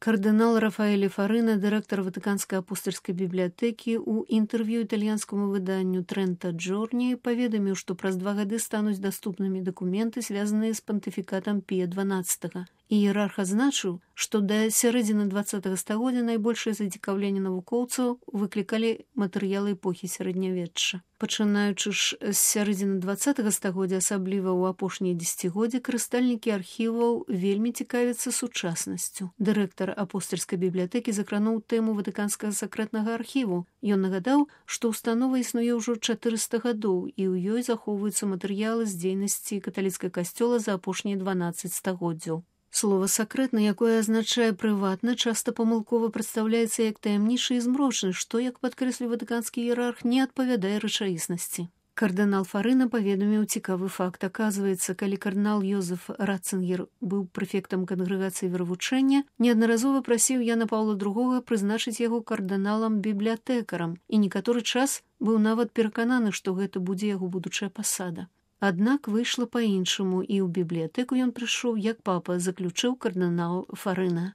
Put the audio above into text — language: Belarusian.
Кардынал Рафаэль Фарына, дырэктар Ватыканскай апостальскай бібліятэкі, у інтэрв'ю італьянскаму выданню «Трента Джорні» паведаміў, што праз 2 гады стануць даступнымі дакументы, звязаныя з пантыфікатам Пія XII. Іерарх адзначыў, што да сярэдзіны 20 стагоддзя найбольшае зацікаўленне навукоўцаў выклікалі матэрыялы эпохі сярэднявечча. Пачынаючы ж з сярэдзіны 20 стагоддзя, асабліва ў апошнія дзесяцігоддзі, карыстальнікі архіваў вельмі цікавяцца сучаснасцю. Дырэктар апостальскай бібліятэкі закрануў тэму ватыканскага сакрэтнага архіву. Ён нагадаў, што ўстанова існуе ўжо 400 гадоў, і ў ёй захоўваюцца матэрыялы з дзейнасці каталіцкага касцёла за апошнія 12 стагоддзяў. Слова «сакрэтна», якое азначае «прыватна», часта памылкова прадстаўляецца як таямнічы і змрочны, што, як падкрэсліў ватыканскі іерарх, не адпавядае рэчаіснасці. Кардынал Фарына паведаміў цікавы факт. Аказваецца, калі кардынал Йозеф Ратцингер быў прэфектам кангрэгацыі веравучэння, неаднаразова прасіў Яна Паўла II прызначыць яго кардыналам-бібліятэкарам, і некаторы час быў нават перакананы, што гэта будзе яго будучая пасада. Аднак выйшла па-іншаму, і ў бібліятэку ён прыйшоў, як папа, заключыў кардынал Фарына.